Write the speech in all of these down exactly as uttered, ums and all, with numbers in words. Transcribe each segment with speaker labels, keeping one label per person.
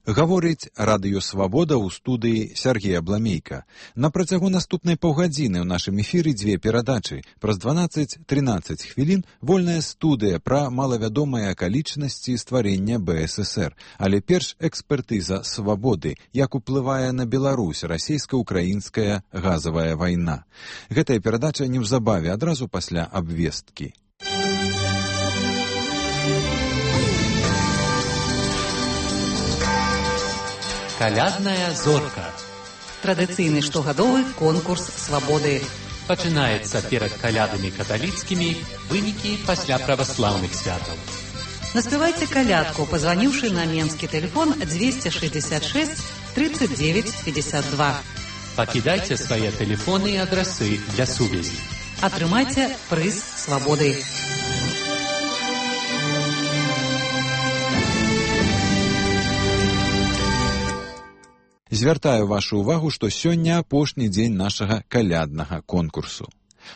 Speaker 1: Гаворыць радыё «Свабода» ў студыі Сергей Абламейка. На працягу наступнай паўгадзіны ў нашым эфіры дзве перадачы. Праз дванаццаць-трынаццаць хвілін вольная студыя пра малавядомыя акалічнасці стварення бэ эс эсэр. Але перш экспертыза «Свабоды», як уплывае на Беларусь расійска-украінская газавая вайна. Гэтая перадача неўзабаве адразу пасля абвесткі.
Speaker 2: Калядная зорка.
Speaker 3: Традыцыйны штогадовы конкурс свабоды.
Speaker 2: Пачынаецца перад калядамі каталіцкімі, вынікі пасля праваслаўных святаў.
Speaker 3: Наспявайце калядку, пазваніўшы на менскі тэлефон двести шестьдесят шесть тридцать девять пятьдесят два.
Speaker 2: Пакідайце свае тэлефоны і адрасы для сувязі.
Speaker 3: Атрымайце прыз свабоды.
Speaker 1: Звяртаю вашу ўвагу, што сёння апошні дзень нашага каляднага конкурсу.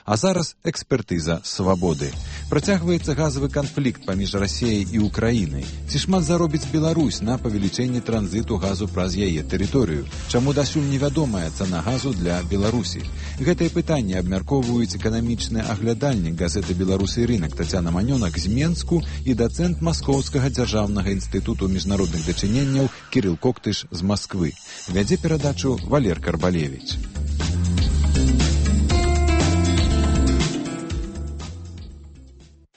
Speaker 1: А зараз экспертыза «Свабоды». Працягваецца газавы канфлікт паміж Расіяй і Украінай. Ці шмат заробіць Беларусь на павелічэнні транзіту газу праз яе тэрыторыю? Чаму дасюль невядомая цана газу для Беларусі? Гэтае пытанне абмяркоўваюць эканамічны аглядальнік газеты «Беларусы і рынак» Тацяна Манёнак з Менску і дацэнт Маскоўскага дзяржаўнага інстытуту міжнародных дачыненняў Кірыл Коктыш з Масквы. Вядзе перадачу Валер Карбалевіч.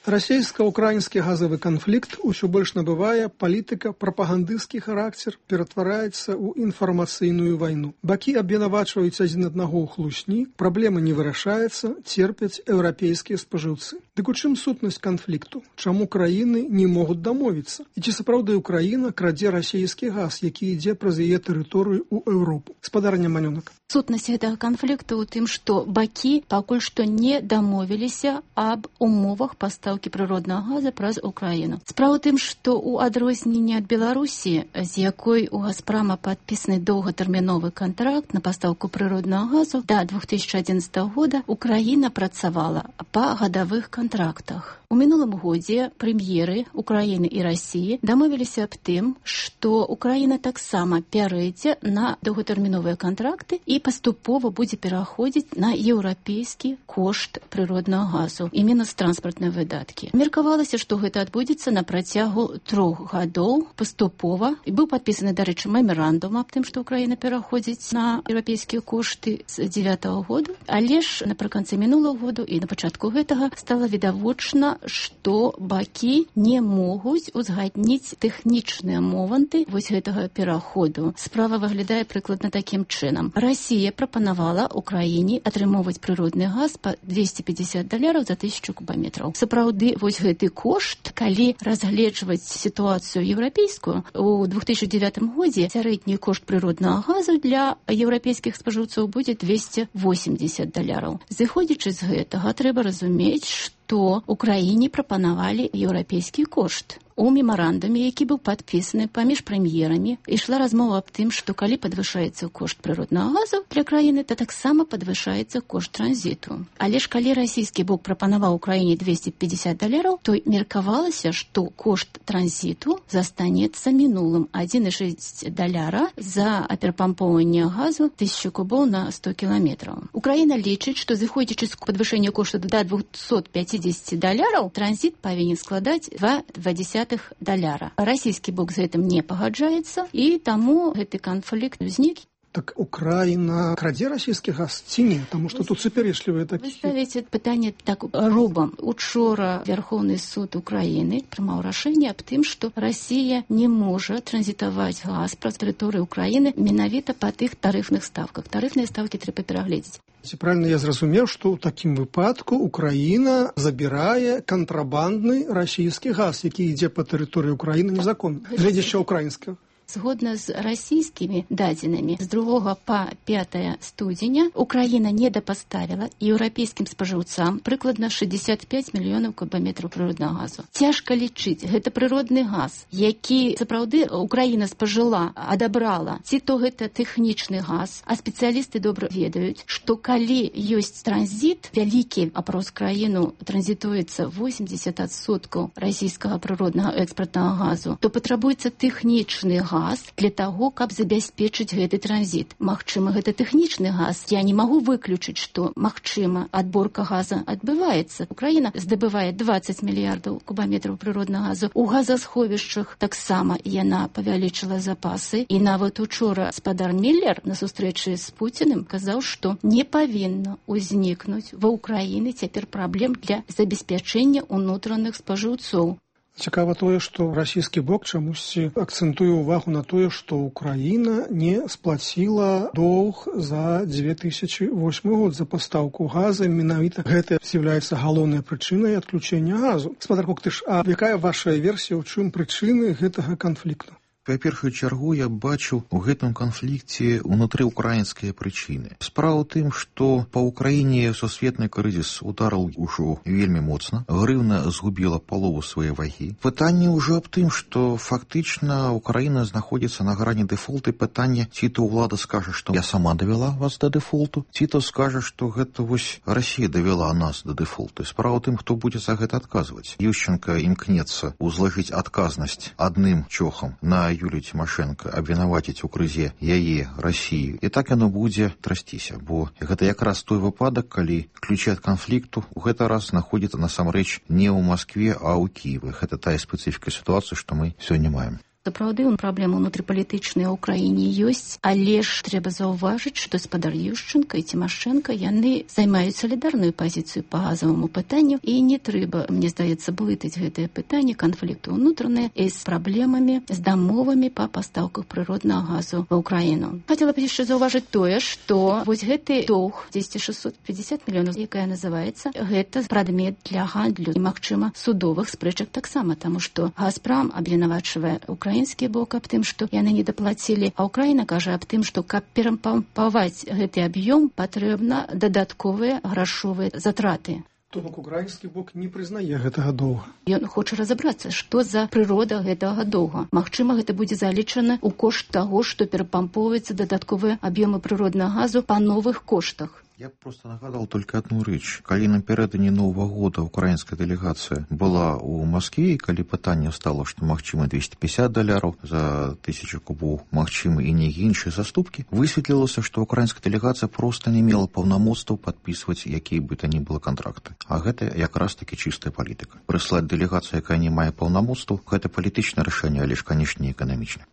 Speaker 4: Расійска-украінскі газавы канфлікт усё больш набывае палітыка-прапагандысцкі характар, ператвараецца ў інфармацыйную вайну. Бакі абвінавачваюць адзін аднаго ў хлусні, праблема не вырашаецца, церпяць еўрапейскія спажыўцы. Дык у чым сутнасць канфлікту? Чаму краіны не могуць дамовіцца? І ці сапраўды Украіна крадзе расійскі газ, які ідзе праз яе тэрыторыю ў Еўропу? Спадарня Манёнак.
Speaker 5: Сутнасць гэтага канфлікту ў тым, што бакі пакуль што не дамовіліся аб умовах пастаўкі прыроднага газа праз Украіну. Справа ў тым, што ў адрозненне ад Беларусі, з якой у Газпрама падпісаны доўгатэрміновы кантракт на пастаўку прыроднага газу да две тысячи одиннадцатого года, Украіна працавала па гадавых кантрактах. У мінулым годзе прэм'еры Украіны і Расіі дамовіліся аб тым, што Украіна таксама пярэдзе на доўгатэрміновыя кантракты і паступова будзе пераходзіць на еўрапейскі кошт прыроднага газу і мінус транспартныя выдаткі. Меркавалася, што гэта адбудзецца на працягу трох гадоў паступова. І быў падпісаны, дарэчы, мемарандум аб тым, што Украіна пераходзіць на еўрапейскія кошты з дзевятага года. Але ж напрыканцы мінулага году і на пачатку гэтага стала відавочна, што бакі не могуць узгадніць тэхнічныя моманты вось гэтага пераходу. Справа выглядае прыкладна такім чынам. Расія прапанавала Украіне атрымоўваць прыродны газ па двести пятьдесят даляраў за тысячу кубаметраў. Сапраўды, вось гэты кошт, калі разгледжваць сітуацыю еўрапейскую, у две тысячи девятым годзе сярэдні кошт прыроднага газу для еўрапейскіх спажыўцоў будзе двести восемьдесят даляраў. Зыходзячы з гэтага, трэба разумець, што то Украіне прапанавалі еўрапейскі кошт. У мемарандуме, які быў падпісаны паміж прэм'ерамі, ішла размова аб тым, што калі падвышаецца кошт прыроднага газу для краіны, то таксама падвышаецца кошт транзіту. Але ж калі расійскі бок прапанаваў Украіне двести пятьдесят даляраў, то меркавалася, што кошт транзіту застанецца мінулым адзін і шэсць даляра за перапампоўванне газу тысячу кубоў на сто кіламетраў. Украіна лічыць, што зыходзячы з падвышэння кошту да двухсот пятидесяти даляраў, транзіт павінен складаць два дзесятых даляра. Расійскі бок з гэтым не пагаджаецца, і таму гэты канфлікт узнік.
Speaker 4: Так Украіна крадзе расійскі газ ці не? Таму што тут супярэчлівыя такія.
Speaker 5: Вы ставіце пытанне так робам. Учора Верховны суд Украіны прымаў рашэнне аб тым, што Расія не можа транзітаваць газ праз тэрыторыю Украіны менавіта па тых тарыфных ставках. Тарыфныя ставкі трэба перагледзець.
Speaker 4: Ці правильно я зразумеў, што ў такім выпадку Украіна забірае кантрабандны расійскі газ, які ідзе па тэрыторыі Украіны незаконна, гледзячы украінскага?
Speaker 5: Згодна з расійскімі дадзенымі, з другога па пятае студзеня Украіна недапаставіла еўрапейскім спажыўцам прыкладна шестьдесят пять мільёнаў кубаметраў прыроднага газу. Цяжка лічыць, гэта прыродны газ, які сапраўды Украіна спажыла, адабрала. Ці то гэта тэхнічны газ, а спецыялісты добра ведаюць, што калі ёсць транзіт, вялікі апроз краіну транзітуецца восемьдесят адсоткаў расійскага прыроднага экспартнага газу, то патрабуецца тэхнічны газ, газ для таго, каб забяспечыць гэты транзіт. Магчыма, гэта тэхнічны газ. Я не магу выключыць, што, магчыма, адборка газа адбываецца. Украіна здабывае дваццаць мільярдаў кубаметраў прыроднага газу. У газасховішчах таксама яна павялічыла запасы. І нават учора спадар Міллер на сустрэчы з Пуціным казаў, што не павінна ўзнікнуць ва Ўкраіны цяпер праблем для забеспячэння ўнутраных спажыўцоў.
Speaker 4: Цікава тое, што расійскі бок чамусьці акцэнтуе ўвагу на тое, што Украіна не сплаціла доўг за дзве тысячы восьмы год за пастаўку газа. Менавіта гэта з'яўляецца галоўнай прычынай адключэння газу. Спадар Коктыш, а якая ваша версія, ў чым прычыны гэтага канфлікту?
Speaker 6: Па першую чаргу я бачу у гэтым канфлікце ўнутрыўкраінскія прычыны. Справа ў тым, што па Ўкраіне сусветны крызіс ударыў ужо вельмі моцна. Грыўна згубіла палову свае вагі. Пытанне ўжо аб тым, што фактычна Украіна знаходзіцца на грані дэфолту. Пытанне, ці то ўлада скажа, што я сама давяла вас да дэфолту, ці то скажа, што гэта вось Расія давяла нас да дэфолту. Справа ў тым, хто будзе за гэта адказваць. Ющенка імкнецца узлажыць адказнасць адным чохам на Юлію Тимошенко, абвінаваціць у крызе яе, Расію. І так яно будзе трасціся, бо гэта якраз той выпадак, калі ключы ад канфлікту у гэты раз знаходзіцца насамрэч не ў Маскве, а ў Кіеве. Гэта тая спецыфіка сітуацыі, што мы сёння маем.
Speaker 5: Сапраўды, праблема ўнутрыпалітычная ў краіне ёсць, але ж трэба заўважыць, што спадар Ющенка і Тимошенко яны займаюць салідарную пазіцыю па газаваму пытанню, і не трэба, мне здаецца, блытаць гэтае пытанне канфлікту ўнутраныя з праблемамі, з дамовамі па пастаўках прыроднага газу ва Ўкраіну. Хацела б яшчэ заўважыць тое, што вось гэты доўг дзесяць шэсцьсот пятьдесят мільёнаў, якая называецца, гэта прадмет для гандлю і, магчыма, судовых спрэчак таксама, таму што Газпром абвінавачвае Украіну украінскі бок аб тым, што яны не даплацілі, а Украіна кажа аб тым, што каб перапампаваць гэты аб'ём, патрэбна дадатковыя грашовыя затраты.
Speaker 4: То бок украінскі бок не прызнае гэтага доўга.
Speaker 5: Ён хоча разабрацца, што за прырода гэтага доўга. Магчыма, гэта будзе залічана ў кошт таго, што перапампоўваецца дадатковыя аб'ёмы прыроднага газу па новых коштах.
Speaker 6: Я просто нагадал только одну рэч. Калі напярэдадні Новага года украінская дэлегацыя была ў Маскве, і калі пытанне стало, што магчыма двести пятьдесят даляраў за тысячу кубоў, магчыма і нейкія іншыя заступкі, высветлілася, што украінская дэлегацыя просто не мела паўнамоцтваў падпісваць якія бы то ні было кантракты. А гэта якраз таки чыстая палітыка. Прыслаць дэлегацыю, якая не мае паўнамоцтваў, гэта палітычнае рашэнне, але ж, канешне, не эканамічнае.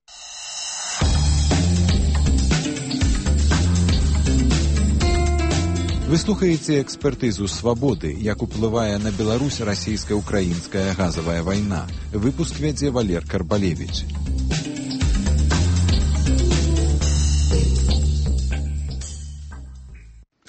Speaker 1: Вы слухаеце экспертызу «Свабоды», як уплывае на Беларусь расійска-украінская газавая вайна. Выпуск вядзе Валер Карбалевіч.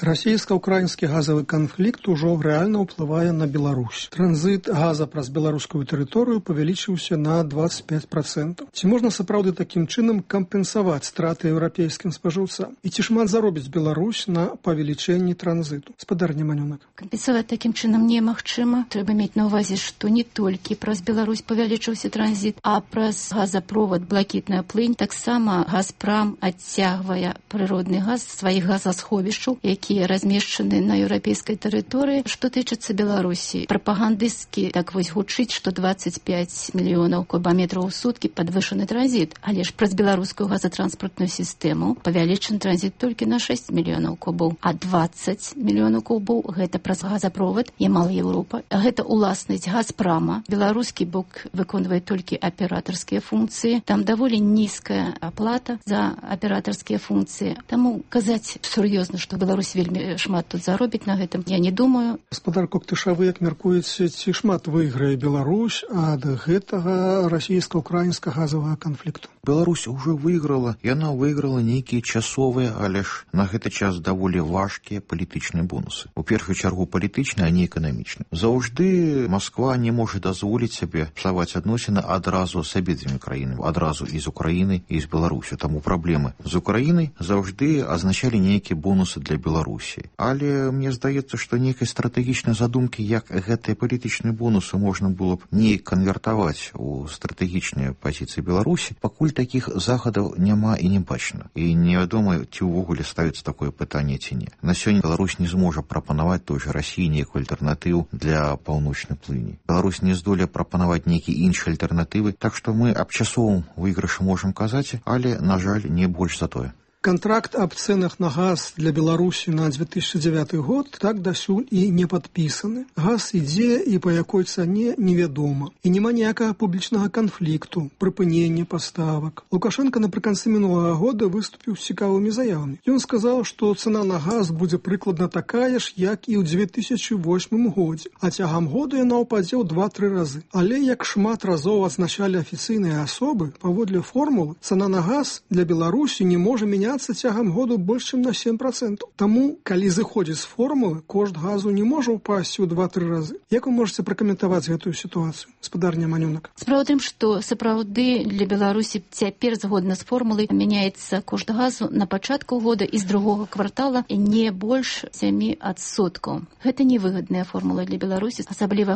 Speaker 4: Расійска-украінскі газавы канфлікт ужо рэальна ўплывае на Беларусь. Транзіт газа праз беларускую тэрыторыю павялічыўся на двадцать пять процентов. Ці можна сапраўды такім чынам кампенсаваць страты еўрапейскім спажыўцам? І ці шмат заробіць Беларусь на павелічэнні транзіту? Спадар Неманёнак.
Speaker 5: Кампенсаваць такім чынам немагчыма. Трэба мець на ўвазе, што не толькі праз Беларусь павялічыўся транзіт, а праз газапровод «Блакітная плынь» таксама Газпром адцягвае прыродны газ з сваіх газасховішчаў, які размешчаны на еўрапейскай тэрыторыі. Што тычыцца Беларусі, прапагандысцкі так вось гучыць, што двадцать пять мільёнаў кубаметраў у суткі падвышаны транзіт, але ж праз беларускую газатранспартную сістэму павялічаны транзіт толькі на шесть мільёнаў кубоў, а двадцать мільёнаў кубоў гэта праз газапровод Ямал Еўропа. Гэта уласнасць Газпрома. Беларускі бок выконвае толькі аператарскія функцыі. Там даволі нізкая аплата за аператарскія функцыі. Таму казаць сур'ёзна, што Беларусь вельмі шмат тут заробіць на гэтым, я не думаю.
Speaker 4: Спадар Коктыша, вы як мяркуеце, ці шмат выйграе Беларусь ад гэтага расійска-украінскага газавага канфлікту?
Speaker 6: Беларусь уже выйграла, яна выйграла нейкія часовыя, але ж на гэты час даволі важкія палітычныя бонусы. У першую чаргу палітычныя, а не эканамічныя. Заўжды Масква не можа дазволіць сабе псаваць адносіны адразу з абедзвюмі краінамі, адразу і з Украіны, і з Беларусю. Таму праблемы з Украінай заўжды азначалі нейкія бонусы для Беларусі. Але мне здаецца, што нейкай стратэгічнай задумкі, як гэтыя палітычныя бонусы можна было б не канвертаваць у стратэгічныя пазіцыі Беларусі, пакуль такіх захадаў няма і не бачна. І невядома, ці ўвогуле ставіцца такое пытанне ці не. На сёння Беларусь не зможа прапанаваць той жа Расіі нейкую альтэрнатыву для паўночнай плыні. Беларусь не здолее прапанаваць нейкія іншыя альтэрнатывы, так што мы аб часовым выйгрышы можам казаць, але, на жаль, не больш за тое.
Speaker 4: Контракт об ценах на газ для Беларусі на две тысячи девятый год так дасюль і не падпісаны. Газ ідзе і па якой цане невядома. І няма ніякага публічнага канфлікту, прыпынення паставак. Лукашенко напрыканцы мінулага года выступіў з цікавымі заявамі. Ён сказаў, што цана на газ будзе прыкладна такая ж, як і ў две тысячи восьмым годзе, а цягам года яна ўпадзе ў два-тры разы. Але, як шмат разоў адзначалі афіцыйныя асобы, паводле формулы, цана на газ для Беларусі не можа мяняцца цягам году больш чым на сем процентаў. Таму, калі зыходзіць з формулы, кошт газу не можа ўпасці ў два-тры разы. Як вы можаце пракаментаваць гэтую сітуацыю, спадарня Манюнак?
Speaker 5: Справа ў тым, што сапраўды для Беларусі цяпер згодна з формулай мяняецца кошт газу на пачатку года і з другога квартала не больш сем адсоткаў. Гэта невыгадная формула для Беларусі, асабліва